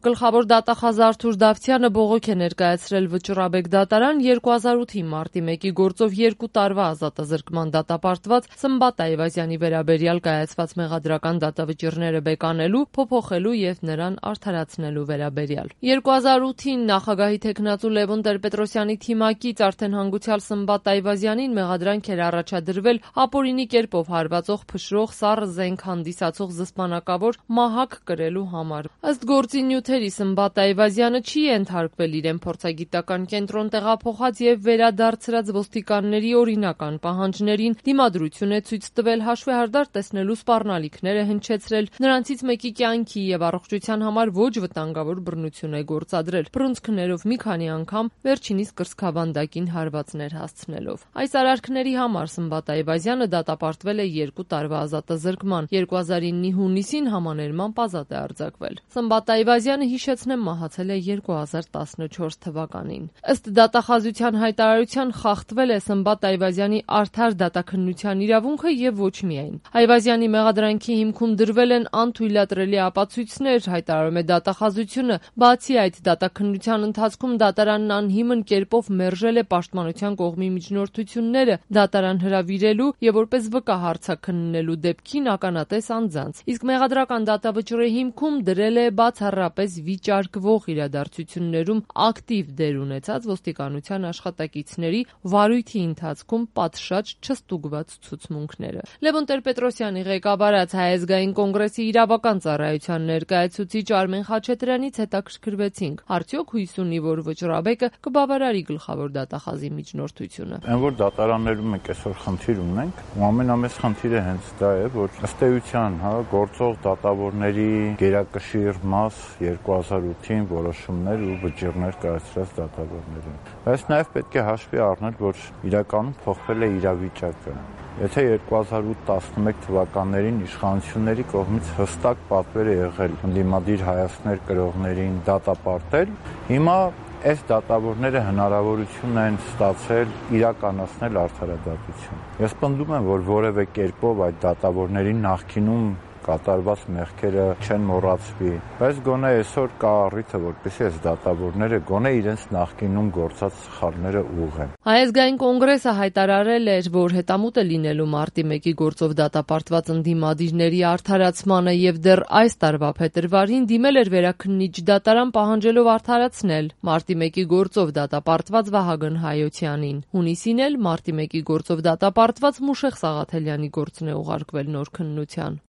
Գլխավոր դատախազ Արթուր Դավթյանը բողոք է ներկայացրել Վճռաբեկ դատարան 2008-ի մարտի 1-ի գործով 2 տարվա ազատազրկման դատապարտված Սմբատ Այվազյանի վերաբերյալ կայացված մեղադրական դատավճիռները բեկանելու, փոփոխելու եւ նրան արդարացնելու վերաբերյալ։ 2008-ին նախագահի թեկնածու Լևոն Տեր-Պետրոսյանի թիմակից արդեն հանգուցյալ Սմբատ Այվազյանին մեղադրանք էր առաջադրվել ապօրինի կերպով հարվածող, փշրող, սառը զենք հանդիսացող զսպանակավոր մահակ կրելու համար։ Ըստ գործի նյութերի Սմբատ Այվազյանը չի ենթարկվել իրեն փորձագիտական կենտրոն տեղափոխած եւ վերադարձրած ոստիկանների օրինական պահանջներին, դիմադրություն է ցույց տվել, հաշվեհարդար տեսնելու սպառնալիքներ է հնչեցրել, նրանցից մեկի կյանքի եւ առողջության համար ոչ վտանգավոր բռնություն է գործադրել, բռունցքներով մի քանի անգամ, վերջինիս կրծքավանդակին հարվածներ հասցնելով։ Այս արարքների համար Սմբատ Այվազյանը դատապարտվել է 2 տարվա ազատազրկման, 2009-ի հունիսին համաներմամբ ազատ է արձակվել։ Սմբատ Այվազյանը, հիշեցնեմ, մահացել է 2014 թվականին։ Ըստ դատախազության հայտարարության խախտվել է Սմբատ Այվազյանի արդար դատաքննության իրավունքը եւ ոչ միայն։ Այվազյանի մեղադրանքի հիմքում դրվել են անթույլատրելի ապացույցներ, հայտարարում է դատախազությունը, բացի այդ դատաքննության ընթացքում դատարանն անհիմն կերպով մերժել է պաշտպանության կողմի միջնորդությունները դատարան հրավիրելու եւ որպես վկա հարցաքննելու դեպքին ականատես անձանց, իսկ մեղադրական դատավճռի հիմքում դրել է բացառապես վիճարկվող իրադարձություններում ակտիվ դեր ունեցած ոստիկանության աշխատակիցների վարույթի ընթացքում պատշաճ չստուգված ցուցմունքները։ Լևոն Տեր-Պետրոսյանի ղեկավարած Հայ ազգային կոնգրեսի իրավական ծառայության ներկայացուցիչ Արմեն Խաչատրյանից հետաքրքրվեցինք, արդյոք հույս ունի, որ Վճռաբեկը կբավարարի գլխավոր դատախազի միջնորդությունը։ Այն որ դատարաններում մենք այսօր խնդիր ունենք, ու ամենամեծ խնդիրը հենց դա է, որ ըստ էության, գործող դատավորների գերակշիռ մաս 2008-ին որոշումներ ու վճիռներ կայացրած դատավորներին։ Բայց նաև պետք է հաշվի առնել, որ իրականում փոխվել է իրավիճակը։ Եթե 2008-11 թվականներին իշխանությունների կողմից հստակ պատվեր է եղել ընդդիմադիր հայացքներ կրողներին դատապարտել, հիմա այս դատավորները հնարավորություն են ստացել իրականացնել արդարադատություն։ Ես պնդում եմ, որ որևէ կերպով այդ դատավորների նախկինում կատարված մեղքերը չեն մոռացվի, բայց գոնե այսօր կա առիթը, որպեսզի այս դատավորները գոնե իրենց նախկինում գործած սխալները ուղղեն։ Հայ ազգային կոնգրեսը հայտարարել էր, որ հետամուտ է լինելու մարտի 1-ի գործով դատապարտված ընդդիմադիրների արդարացմանը եւ դեռ այս տարվա փետրվարին դիմել էր վերաքննիչ դատարան պահանջելով արդարացնել մարտի 1-ի գործով դատապարտված Վահագն Հայոցյանին։ Հունիսին էլ մարտի 1-ի գործով դատապարտված Մուշեղ Սաղաթելյանի գործն է ուղարկվել նոր քննության։